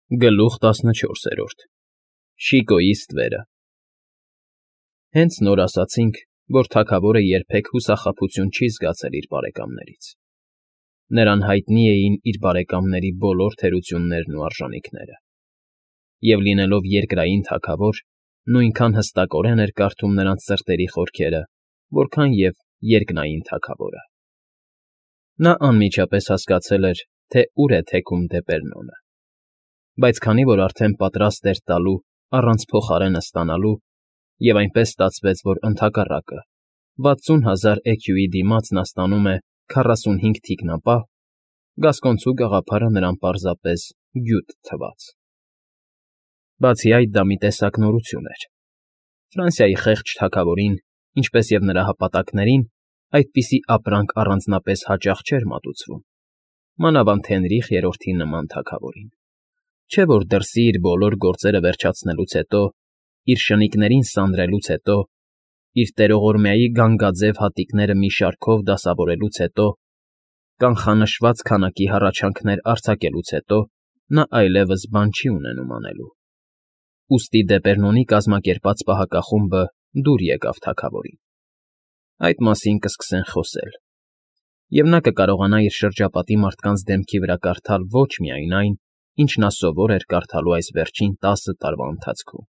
Գլուխ 14 Շիկոյի ստվերը Հենց նոր ասացինք, որ թագավորը երբեք հուսախաբություն չի զգացել իր բարեկամներից. նրան հայտնի էին իր բարեկամների բոլոր թերություններն ու արժանիքները, և լինելով երկրային թագավոր, նույնքան հստակորեն էր կարդում նրանց սրտերի խորքերը, որքան և երկնային թագավորը. նա անմիջապես հասկացել էր, թե ուր է թեքում Դեպերնոնը, բայց քանի որ արդեն պատրաստ էր տալու առանց փոխարենը ստանալու, և այնպես ստացվեց, որ ընդհակառակը 60,000 էքյուի դիմաց նա ստանում է 45 թիկնապահ, գասկոնցու գաղափարը նրան պարզապես գյուտ թվաց. բացի այդ դա մի տեսակ նորություն էր. Ֆրանսիայի խեղճ թագավորին, ինչպես և նրա հապատակներին, այդպիսի ապրանք առանձնապես հաճախ չէր մատուցվում, մանավանդ Հենրիխ III-ի նման թագավորին, չէ որ դրսի իր բոլոր գործերը վերջացնելուց հետո, իր շնիկներին սանրելուց հետո, իր տերողորմյայի գանգաձև հատիկները մի շարքով դասավորելուց հետո, կանխանշված քանակի հառաչանքներ արձակելուց հետո նա այլևս բան չի ունենում անելու, ուստի Դեպերնոնի կազմակերպած պահակախումբը դուր եկավ թագավորին. այդ մասին կսկսեն խոսել, և նա կկարողանա իր շրջապատի մարդկանց դեմքի վրա կարդալ ոչ միայն այն, ինչ նա սովոր էր կարդալու այս վերջին 10 տարվա ընթացքում,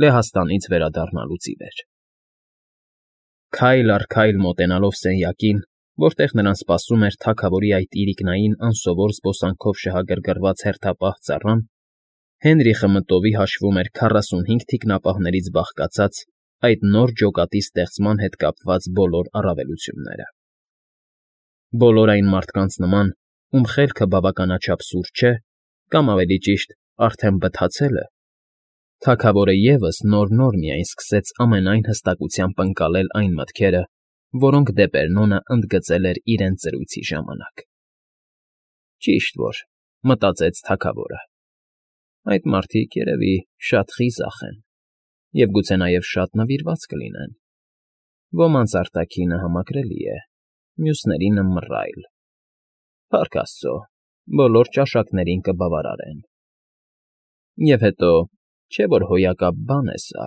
Լեհաստանից վերադառնալուց ի վեր. Քայլ առ քայլ մոտենալով սենյակին, որտեղ նրան սպասում էր թագավորի այդ իրիկնային անսովոր զբոսանքով շահագրգռված հերթապահ ծառան, Հենրիխը մտովի հաշվում էր 45 թիկնապահներից բաղկացած այդ նոր ջոկատի ստեղծման հետ կապված բոլոր առավելությունները. բոլոր այն մարդկանց նման, ում խելքը բավականաչափ սուր չէ, կամ ավելի ճիշտ, արդեն բթացել է, թագավորը ևս նոր միայն սկսեց ամենայն հստակությամբ ընկալել այն մտքերը, որոնք Դեպերնոնը ընդգծել էր իրենց զրույցի ժամանակ։ Ճիշտ որ, մտածեց թագավորը, այդ մարդիկ, երևի, շատ խիզախ են և գուցե նաև շատ նվիրված կլինեն, ոմանց արտաքինը համակրելի է, մյուսներինը մռայլ, փառք աստծո, բոլոր ճաշակներին կբավարարեն։ Եվ հետո, չէ որ հոյակապ բան է սա,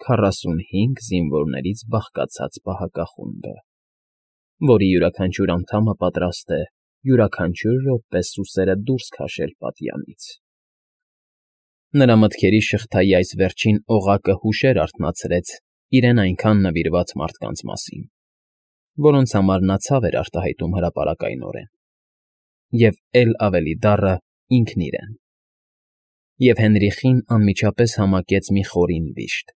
45 զինվորներից բաղկացած պահակախումբը, որի յուրաքանչյուր անդամը պատրաստ է յուրաքանչյուր րոպե սուսերը դուրս քաշել պատյանից։ Նրա մտքերի շղթայի այս վերջին օղակը հուշեր արթնացրեց իրեն այնքան նվիրված մարդկանց մասին, որոնց համար նա ցավ էր արտահայտում հրապարակայնորեն, և էլ ավելի դառը ինքն իրեն, և Հենրիխին անմիջապես համակեց մի խորին վիշտ,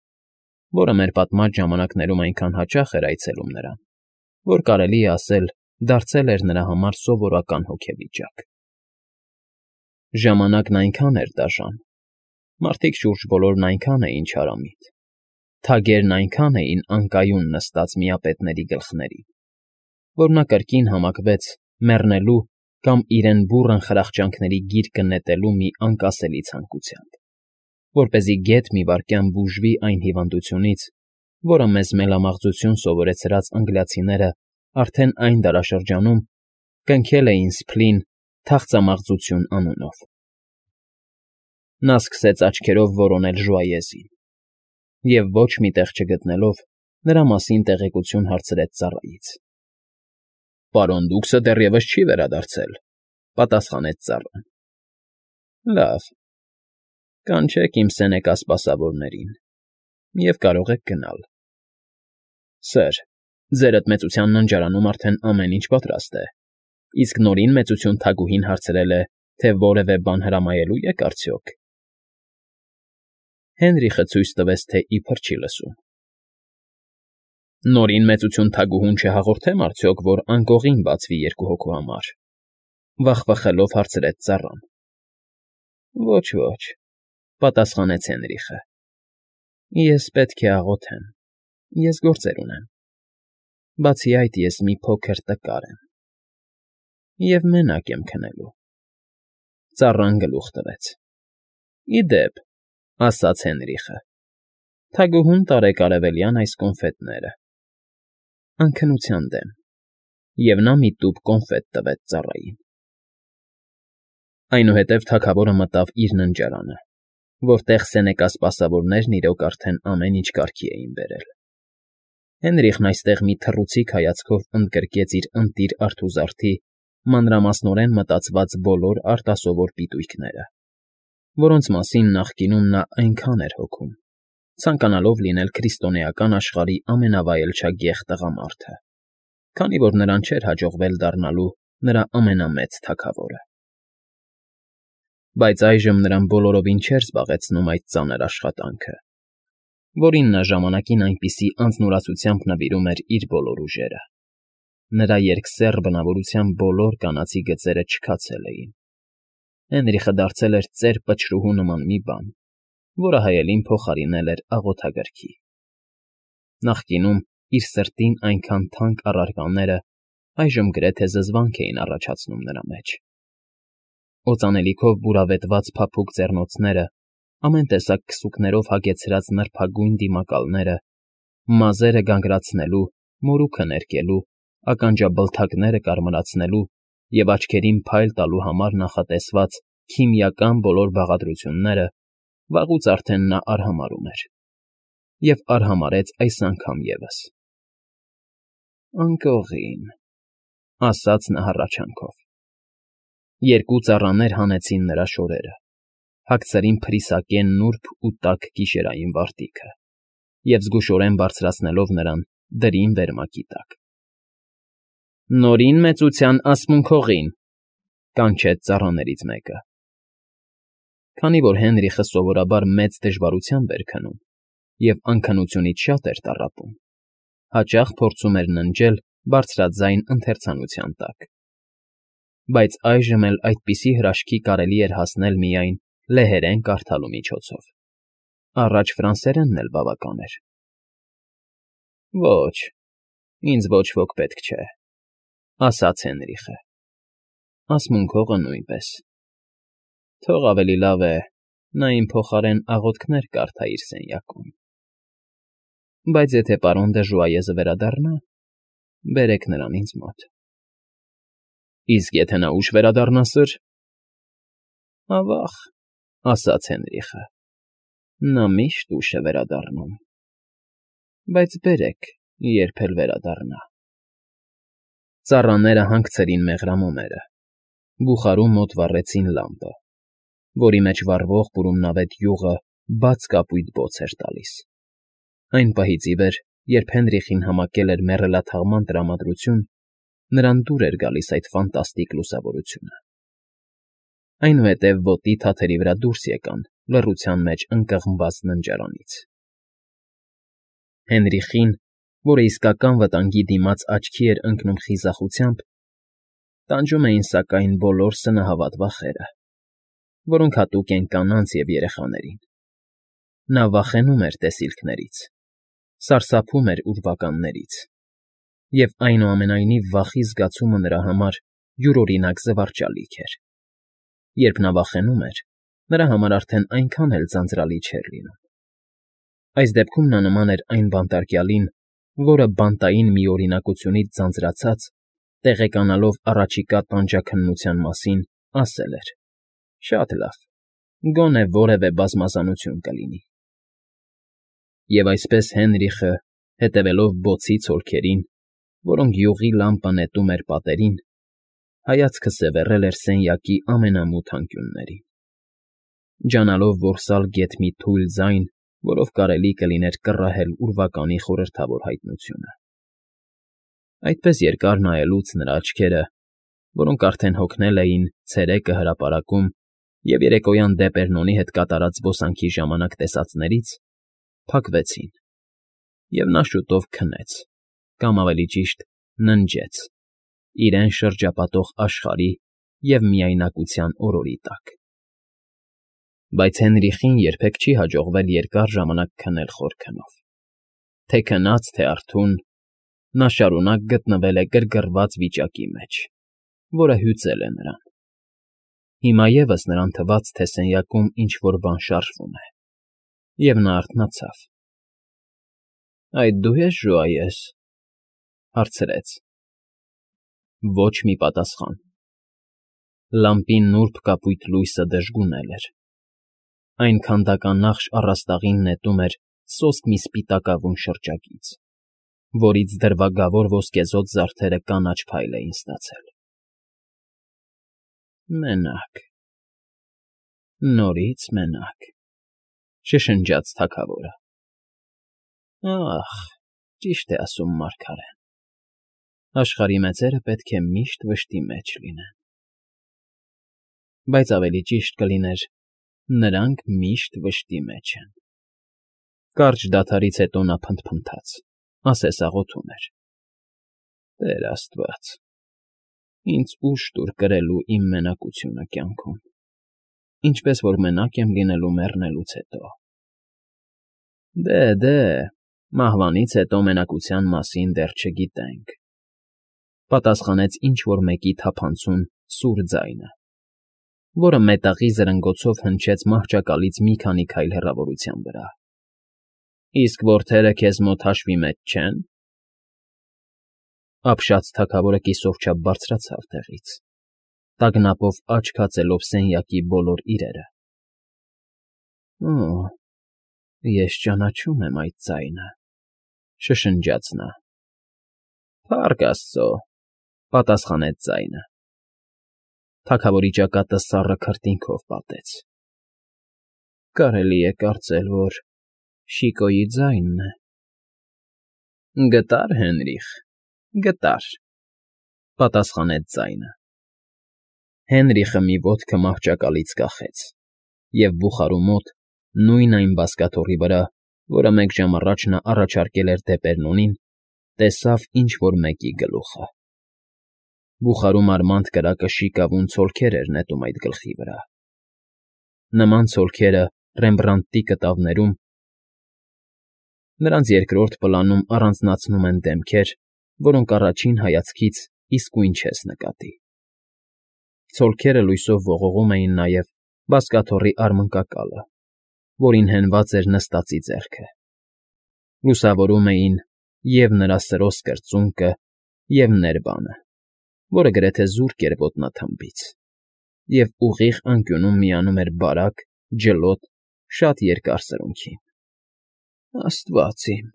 որը մեր պատմած ժամանակներում այնքան հաճախ էր այցելում նրան, որ կարելի է ասել դարձել էր նրա համար սովորական հոգեվիճակ։ Ժամանակն այնքան էր դաժան, մարդիկ շուրջ բոլորն այնքան էին չարամիտ, թագերն այնքան էին անկայուն նստած միապետների գլխներին, որ նա կրկին համակվեց մեռնելու կամ իրեն բուռն խրախճանքների գիրկը նետելու մի անկասելի ցանկությամբ, որպեսզի գեթ մի վայրկյան բուժվի այն հիվանդությունից, որը մեզ մելամաղձություն սովորեցրած անգլիացիները արդեն այն դարաշրջանում կնքել էին սփլին թախծամաղձություն անունով։ Նա սկսեց աչքերով որոնել Ժուայեզին և ոչ մի տեղ չգտնելով, նրա մասին տեղեկություն հարցրեց ծառայից։ Պարոն Դուքսը դեռևս չի վերադարձել, պատասխանեց ծառան։ Լավ, կանչեք իմ սենեկա սպասավորներին և կարող եք գնալ։ Սըր, ձեր էդ մեծության ննջարանում արդեն ամեն ինչ պատրաստ է, իսկ Նորին մեծություն թագուհին հարցրել է, թե որևէ բան հրամայելու եք արդյոք։ Հենրիխը ցույց տվեց, թե իբր չի լսում։ Նորին մեծություն թագուհուն չհաղորդեմ արդյոք, որ անկողին բացվի երկու հոգու համար, վախվխելով հարցրեց ծառան։ Ոչ, պատասխանեց Հենրիխը։ Ես պետք է աղոթեմ, ես գործեր ունեմ։ Բացի այդ, ես մի փոքր տկար եմ և մենակ եմ քնելու։ Ծառան գլուխ տվեց։ Ի դեպ, ասաց Հենրիխը, թագուհուն տարեք արևելյան այս կոնֆետները։ Անքնության դեմ, և նա մի տուփ կոնֆետ տվեց ծառային։ Այնուհետև թագավորը մտավ իր ննջարանը, որտեղ սենեկա սպասավորներն իրոք արդեն ամեն ինչ կարգի էին բերել։ Հենրիխն այստեղ մի թռուցիկ հայացքով ընդգրկեց իր ընտիր արթուզարդի մանրամասնորեն մտածված բոլոր արտասովոր պիտույքները, որոնց մասին նախկինում նա այնքան էր հոգում, ցանկանալով լինել քրիստոնեական աշխարհի ամենավայելչագեղ տղամարդը, քանի որ նրան չէր հաջողվել դառնալու նրա ամենամեծ թագավորը։ Բայց այժմ նրան բոլորովին չէր զբաղեցնում այդ ծանր աշխատանքը, որին նա ժամանակին այնպիսի անձնուրացությամբ նվիրում էր իր բոլոր ուժերը։ Նրա երկսեռ բնավորության բոլոր կանացի գծերը չքացել էին։ Հենրիխը դարձել էր ծեր պչրուհու նման մի բան, որը հայելին փոխարինել էր աղոթագրքի։ Նախկինում իր սրտին այնքան թանկ առարկաները այժմ գրեթե զզվանք էին առաջացնում նրա մեջ։ Օծանելիքով բուրավետված փափուկ ձեռնոցները, ամեն տեսակ քսուկներով հագեցրած նրբագույն դիմակալները, մազերը գանգրացնելու, մորուքը ներկելու, ականջաբլթակները կարմրացնելու և աչքերին փայլ տալու համար նախատեսված քիմիական բոլոր բաղադրությունները վաղուց արդեն նա արհամարհում էր և արհամարհեց այս անգամ ևս։ «Անկողին,֊ ասաց նա հառաչանքով։ Երկու ծառաներ հանեցին նրա շորերը, հագցրին փրիսակեն նուրբ ու տաք գիշերային վարտիքը և զգուշորեն բարձրացնելով նրան դրին վերմակի տակ։ «Նորին մեծության ասմունքողին,֊ կանչեց ծառաներից մեկը։ Քանի որ Հենրիխը սովորաբար մեծ դժվարությամբ էր քնում և անքնությունից շատ էր տառապում, հաճախ փորձում էր ննջել բարձրաձայն ընթերցանության տակ։ Բայց այժմ էլ այդպիսի հրաշքի կարելի էր հասնել միայն լեհերեն կարդալու միջոցով, առաջ ֆրանսերենն էլ բավական էր։ «Ոչ, ինձ ոչ ոք պետք չէ,֊ ասաց Հենրիխը։ Ասմունքողը նույնպես։ Թող ավելի լավ է նա իմ փոխարեն աղոթքներ կարդա իր սենյակում։ Բայց եթե պարոն Դժուայեզը վերադառնա, բերեք նրան ինձ մոտ»։ «Իսկ եթե նա ուշ վերադառնա, սըր»։ «Ավա՜ղ,֊ ասաց Հենրիխը,֊ նա միշտ ուշ է վերադառնում։ Բայց բերեք, երբ էլ վերադառնա»։ Ծառաները հանգցրին մեղրամոմերը, բուխարու մոտ վառեցին լամպը, որի մեջ վառվող բուրումնավետ յուղը բաց կապույտ բոց էր տալիս։ Այն պահից ի վեր, երբ Հենրիխին համակել էր մեռելաթաղման տրամադրություն, նրան դուր էր գալիս այդ ֆանտաստիկ լուսավորությունը։ Այնուհետև ոտի թաթերի վրա դուրս եկան լռության մեջ ընկղմված ննջարանից։ Հենրիխին, որը իսկական վտանգի դիմաց աչքի էր ընկնում խիզախությամբ, տանջում էին սակայն բոլոր սնահավատ վախերը, որոնք հատուկ են կանանց և երեխաներին։ Նա վախենում էր տեսիլքներից, սարսափում էր ուրվականներից, և այնուամենայնիվ վախի զգացումը նրա համար յուրօրինակ զվարճալիք էր։ Երբ նա վախենում էր, նրա համար արդեն այնքան էլ ձանձրալի չէր լինում։ Այս դեպքում նա նման էր այն բանտարկյալին, որը բանտային միօրինակությունից ձանձրացած, տեղեկանալով առաջիկա տանջաքննության մասին, ասել էր. «Շատ լավ, գոնե որևէ բազմազանություն կլինի»։ Եվ այսպես Հենրիխը, հետևելով բոցի ցոլքերին, որոնք յուղի լամպը նետում էր պատերին, հայացքը սևեռել էր սենյակի ամենամութ անկյուններին, ջանալով որսալ գեթ մի թույլ ձայն, որով կարելի կլիներ կռահել ուրվականի խորհրդավոր հայտնությունը։ Այդպես երկար նայելուց նրա աչքերը, որոնք արդեն հոգնել էին ցերեկը հրապարակում և երեկոյան Դեպերնոնի հետ կատարած զբոսանքի ժամանակ տեսածներից, փակվեցին, և նա շուտով քնեց, կամ ավելի ճիշտ ննջեց, իրեն շրջապատող աշխարհի և միայնակության օրորի տակ։ Բայց Հենրիխին երբեք չի հաջողվել երկար ժամանակ քնել խոր քնով։ Թե քնած, թե արթուն, նա շարունակ գտնվել է գրգռված վիճակի մեջ, որը հյուծել է նրան։ Հիմա ևս նրան թվաց, թե սենյակում ինչ֊որ բան շարժվում է, և նա արթնացավ։ «Այդ դու ես, Ժուայես,֊ հարցրեց։ Ոչ մի պատասխան։ Լամպի նուրբ կապույտ լույսը դժգունել էր։ Այն քանդականախշ առաստաղին նետում էր սոսկ մի սպիտակավուն շրջակից, որից դրվագավոր ոսկեզօծ զարդերը կանաչ փայլ էին ստացել։ Մենակ, նորից մենակ, շշնջաց թագավորը։ Ախ, ճիշտ է ասում մարգարեն, աշխարհի մեծերը պետք է միշտ վշտի մեջ լինեն։ Բայց ավելի ճիշտ կլիներ, նրանք միշտ վշտի մեջ են։ Կարճ դադարից հետո նա փնթփնթաց, ասես աղոթում էր. Տեր Աստված, ինձ ուժ տուր կրելու իմ մենակությունը կյանքում, ինչպես որ մենակ եմ լինելու մեռնելուց հետո։ Դե, մահվանից հետո մենակության մասին դեռ չգիտենք, պատասխանեց ինչ֊որ մեկի թափանցում սուր ձայնը, որը մետաղի զրնգոցով հնչեց մահճակալից մի քանի քայլ հեռավորության վրա։ Իսկ որդերը քեզ մոտ հաշվի մեջ չե՞ն։ Ապշած թագավորը կիսով չափ բարձրացավ տեղից, տագնապով աչք հացելով սենյակի բոլոր իրերը։ Օ, ես ճանաչում եմ այդ ձայնը, շշնջաց նա։ Փառք Աստծո, պատասխանեց ձայնը։ Թագավորի ճակատը սառը քրտինքով պատեց։ Կարելի է կարծել, որ Շիկոյի ձայնն է։ Գտար, Հենրիխ, գտար, պատասխանեց ձայնը։ Հենրիխը մի ոտքը մահճակալից կախեց, և բուխարու մոտ, նույն այն բազկաթոռի վրա, որը մեկ ժամ առաջ նա առաջարկել էր Դեպերնոնին, տեսավ ինչ֊որ մեկի գլուխը։ Բուխարու մարմանդ կրակը շիկավուն ցոլքեր էր նետում այդ գլխի վրա։ Նման ցոլքերը Ռեմբրանդտի կտավներում, նրանց երկրորդ պլանում առանձնացնում են դեմքեր, որոնք առաջին հայացքից իսկույն չես նկատի։ Ցոլքերը լույսով ողողում էին նաև բազկաթոռի արմնկակալը, որին հենված էր նստածի ձեռքը։ Լուսավորում էին և նրա սրոսկ կրծունկը, և ներբանը, որը գրեթե զուրկ էր ոտնաթմբից, և ուղիղ անկյունում միանում էր բարակ, ջլոտ, շատ երկար սրունքին։ Աստված իմ,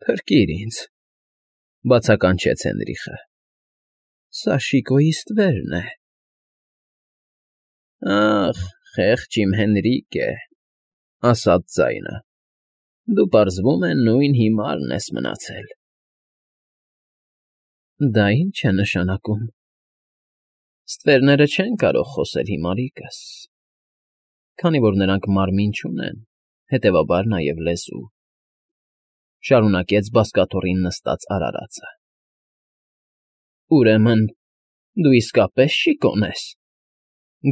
փրկիր ինձ, բացականչեց Հենրիխը։ Սա Շիկոյի ստվերն է։ Ախ, խեղճ իմ Հենրիկե, ասաց ձայնը, դու պարզվում է նույն հիմարն ես մնացել։ Դա ի՞նչ է նշանակում։ Ստվերները չեն կարող խոսել, հիմարիկս, քանի որ նրանք մարմին չունեն, հետևաբար նաև լեզու, շարունակեց բազկաթոռին նստած արարածը։ Ուրեմն դու իսկապես Շիկոն ես,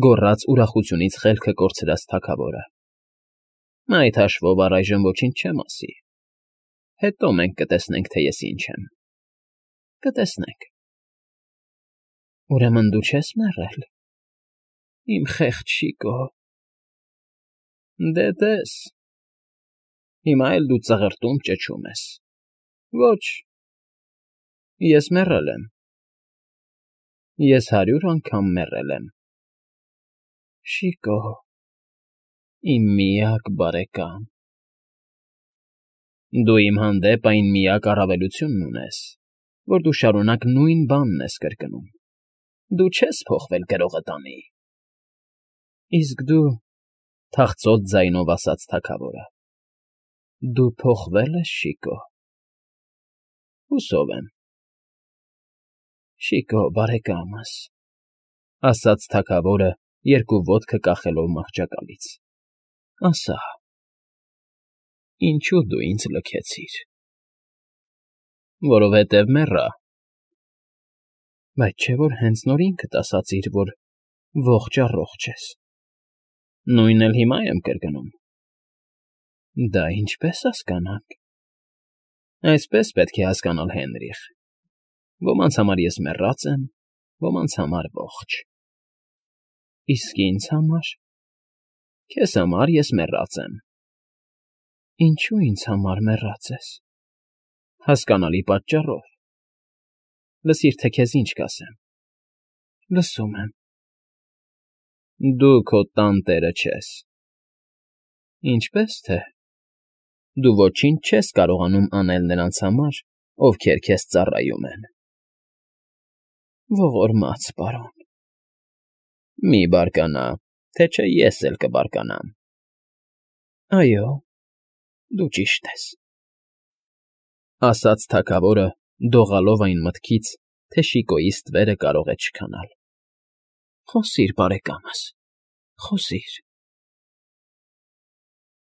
գոռաց ուրախությունից խելքը կորցրած թագավորը։ Այդ հաշվով առայժմ ոչինչ չեմ ասի։ Հետո մենք կտեսնենք, թե ես ինչ եմ։ Կտեսնենք։ Ուրեմն դու չես մեռել, իմ խեղճ Շիկո։ Դե տես, հիմա էլ դու ծղրտում ճչում ես։ Ոչ, ես մեռել եմ։ Ես 100 անգամ մեռել եմ։ Շիկո, իմ միակ բարեկամ։ Դու իմ հանդեպ այն միակ առավելությունն ունես, որ դու շարունակ նույն բանն ես կրկնում։ Դու չես փոխվել գրողը տանի։ Իսկ դու, թախծոտ ձայնով ասաց թագավորը, դու փոխվել ես, Շիկո։ Հուսով եմ։ Շիկո, բարեկամս, ասաց թագավորը, երկու ոտքը կախելով մահճակալից, ասա, ինչու դու ինձ լքեցիր։ Որովհետև մեռա։ Բայց չէ՞ որ հենց նոր ինքդ ասացիր, որ ողջ֊առողջ ես։ Նույնն էլ հիմա եմ կրկնում։ Դա ինչպես հասկանանք։ Այսպես պետք է հասկանալ, Հենրիխ։ Ոմանց համար ես մեռած եմ, ոմանց համար ողջ։ Իսկ ինձ համար։ Քեզ համար ես մեռած եմ։ Ինչու ինձ համար մեռած ես։ Հասկանալի պատճառով։ Լսիր, թե քեզ ինչ կասեմ։ Լսում եմ։ Դու քո տան տերը չես։ Ինչպե՞ս թե։ Դու ոչինչ չես կարողանում անել նրանց համար, ովքեր քեզ ծառայում են։ Ողորմած պարոն։ Մի բարկանա, թե չէ ես էլ կբարկանամ։ Այո, դու ճիշտ ես,֊ ասաց թագավորը, դողալով այն մտքից, թե Շիկոյի ստվերը կարող է չքանալ։ Խոսիր, բարեկամս, խոսիր։